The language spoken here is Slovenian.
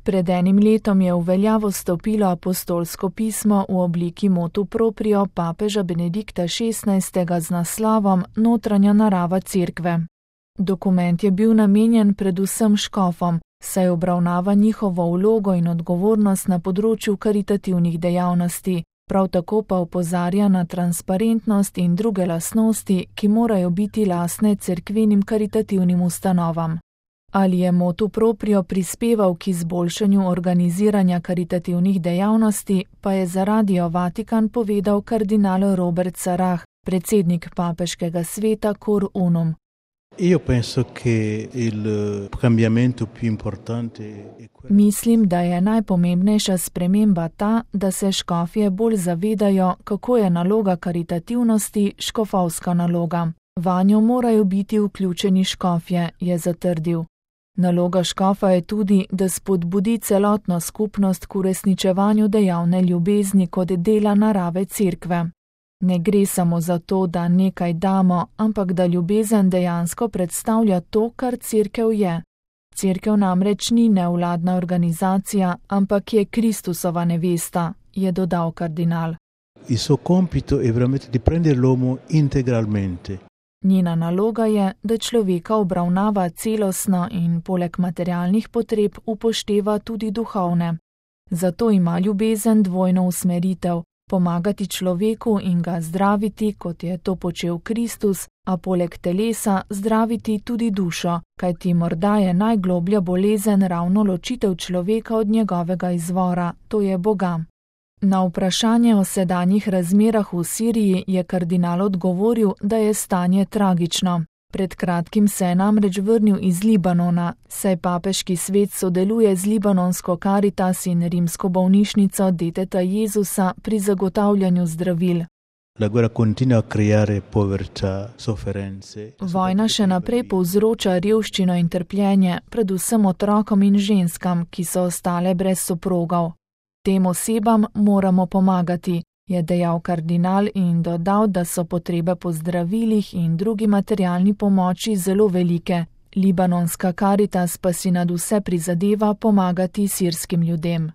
Pred enim letom je v veljavo stopilo apostolsko pismo v obliki motu proprio papeža Benedikta XVI z naslovom Notranja narava cerkve. Dokument je bil namenjen predvsem škofom, saj obravnava njihovo vlogo in odgovornost na področju karitativnih dejavnosti, prav tako pa opozarja na transparentnost in druge lastnosti, ki morajo biti lastne cerkvenim karitativnim ustanovam. Ali je motu proprio prispeval k izboljšanju organiziranja karitativnih dejavnosti, pa je za Radio Vatikan povedal kardinal Robert Sarah, predsednik papeškega sveta Cor Unum. Mislim, da je najpomembnejša sprememba ta, da se škofje bolj zavedajo, kako je naloga karitativnosti škofovska naloga. Vanjo morajo biti vključeni škofje, je zatrdil. Naloga škofa je tudi, da spodbudi celotno skupnost k uresničevanju dejavne ljubezni kot dela narave cerkve. Ne gre samo za to, da nekaj damo, ampak da ljubezen dejansko predstavlja to, kar cerkev je. Cerkev namreč ni nevladna organizacija, ampak je Kristusova nevesta, je dodal kardinal. Njena naloga je, da človeka obravnava celostno in poleg materialnih potreb upošteva tudi duhovne. Zato ima ljubezen dvojno usmeritev, pomagati človeku in ga zdraviti, kot je to počel Kristus, a poleg telesa zdraviti tudi dušo, kajti morda je najgloblja bolezen ravno ločitev človeka od njegovega izvora, to je Boga. Na vprašanje o sedanjih razmerah v Siriji je kardinal odgovoril, da je stanje tragično. Pred kratkim se je namreč vrnil iz Libanona, saj papeški svet sodeluje z libanonsko Caritas in rimsko bolnišnico Deteta Jezusa pri zagotavljanju zdravil. Vojna še naprej povzroča revščino in trpljenje, predvsem otrokom in ženskam, ki so ostale brez soprogov. Tem osebam moramo pomagati, je dejal kardinal in dodal, da so potrebe po zdravilih in drugi materialni pomoči zelo velike. Libanonska Caritas pa si nad vse prizadeva pomagati sirskim ljudem.